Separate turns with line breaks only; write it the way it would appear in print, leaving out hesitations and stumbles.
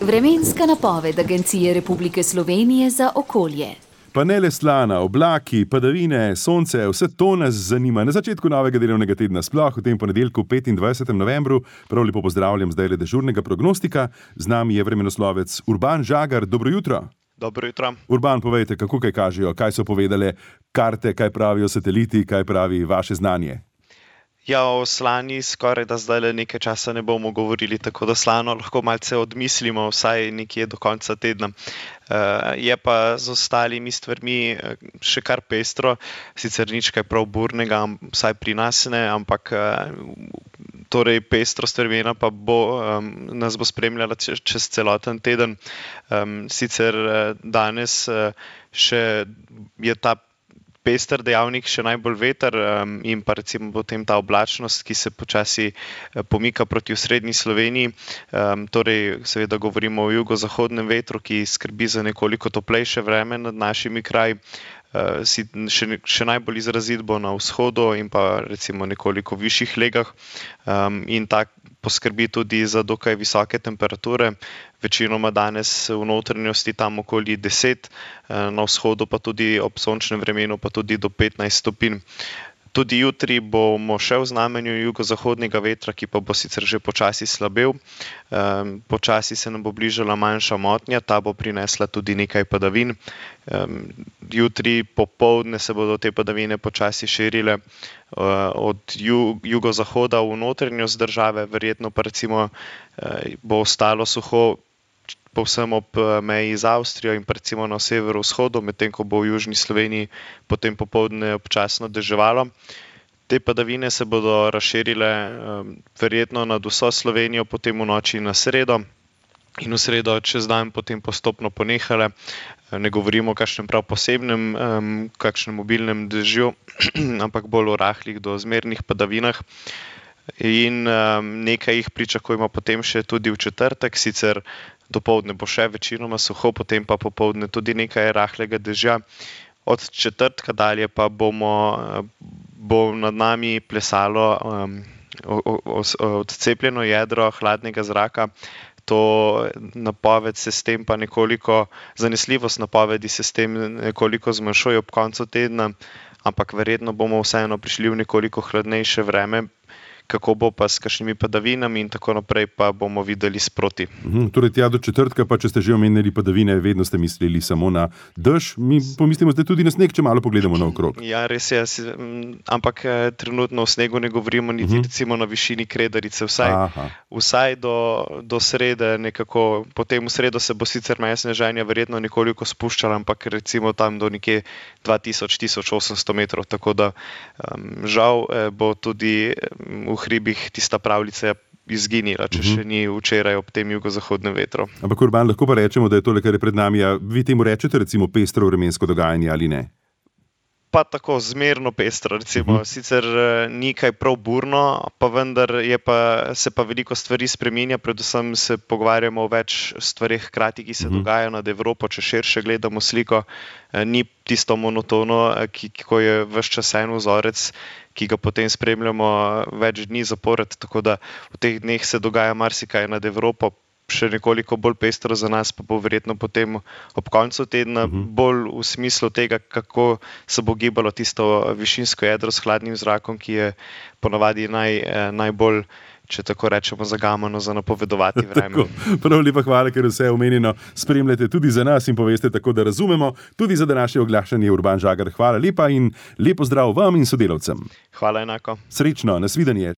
Vremenska napoved Agencije Republike Slovenije za okolje.
Pa ne le slana, oblaki, padavine, sonce, vse to nas zanima. Na začetku novega delovnega tedna, sploh v tem ponedeljku 25. novembru, prav lepo pozdravljam zdaj le dežurnega prognostika. Z nami je vremenoslovec Urban Žagar. Dobro jutro.
Dobro jutro.
Urban, povejte, kako kaj kažejo, kaj so povedale karte, kaj pravijo sateliti, kaj pravi vaše znanje?
Ja, o slani skoraj da zdaj nekaj časa ne bomo govorili, tako da slano lahko malce odmislimo, vsaj nekje do konca tedna. Je pa z ostalimi stvarmi še kar pestro, sicer nič kaj prav burnega, vsaj pri nas ne, ampak torej pestrost vremena pa nas bo spremljala čez celoten teden. Sicer danes še je ta pester dejavnik še najbolj veter in pa recimo potem ta oblačnost, ki se počasi pomika proti osrednji Sloveniji. Torej seveda govorimo o jugozahodnem vetru, ki skrbi za nekoliko toplejše vreme nad našimi kraji. Še najbolj izrazit bo na vzhodu in pa recimo nekoliko višjih legah in tak poskrbi tudi za dokaj visoke temperature. Večinoma danes v notranjosti tam okoli 10, na vzhodu pa tudi ob sončnem vremenu pa tudi do 15 stopinj. Tudi jutri bomo še v znamenju jugozahodnega vetra, ki pa bo sicer že počasi slabel. Počasi se nam bo bližala manjša motnja, ta bo prinesla tudi nekaj padavin. Jutri popoldne se bodo te padavine počasi širile od jugozahoda v notranjost države, verjetno pa recimo bo ostalo suho povsem ob meji z Avstrijo in recimo na severovzhodu, medtem ko bo v južni Sloveniji potem popoldne občasno deževalo. Te padavine se bodo razširile verjetno nad vso Slovenijo potem v noči na sredo in v sredo čez dan potem postopno ponehale. Ne govorimo o kakšnem prav posebnem, kakšnem obilnem dežju, ampak bolj o rahlih do zmernih padavinah. In nekaj jih pričakujemo potem še tudi v četrtek, sicer dopoldne bo še večinoma suho, potem pa popoldne tudi nekaj rahlega dežja. Od četrtka dalje pa bo nad nami plesalo odcepljeno jedro hladnega zraka. To napoved se s tem pa nekoliko, zanesljivost napovedi se s tem nekoliko zmanjšuje ob koncu tedna, ampak verjetno bomo vseeno prišli v nekoliko hladnejše vreme. Kako bo pa s kakšnimi padavinami in tako naprej, pa bomo videli sproti.
Torej tja do četrtka, pa če ste že omenili padavine, vedno ste mislili samo na dež. Mi pomislimo zdaj tudi na sneg, če malo pogledamo naokrog.
Ja, res je, ampak trenutno o snegu ne govorimo niti recimo na višini Kredarice, vsaj do srede nekako. Potem v sredo se bo sicer meja sneženja verjetno nekoliko spuščala, ampak recimo tam do nekje 2000-1800 metrov, tako da žal bo tudi v hribih tista pravljica izginila, če še ni včeraj ob tem jugozahodnem vetru.
Ampak Urban, lahko pa rečemo, da je tole, kar je pred nami, a vi temu rečete recimo pestro vremensko dogajanje ali ne?
Pa tako zmerno pestro, recimo. Sicer ni kaj prav burno, pa vendar se pa veliko stvari spreminja, predvsem se pogovarjamo o več stvarih hkrati, ki se dogajajo nad Evropo, če širše gledamo sliko. Ni tisto monotono, ko je ves čas en vzorec, ki ga potem spremljamo več dni zapored, tako da v teh dneh se dogaja marsikaj nad Evropo. Še nekoliko bolj pestro za nas pa bo verjetno potem ob koncu tedna, bolj v smislu tega, kako se bo gibalo tisto višinsko jedro s hladnim zrakom, ki je ponavadi najbolj, če tako rečemo, zagamano za napovedovati vreme.
Prav lepa hvala, ker vse omenjeno spremljate tudi za nas in poveste tako, da razumemo. Tudi za današnje oglašanje Urban Žagar. Hvala lepa in lep pozdrav vam in sodelavcem.
Hvala enako.
Srečno, nasvidenje.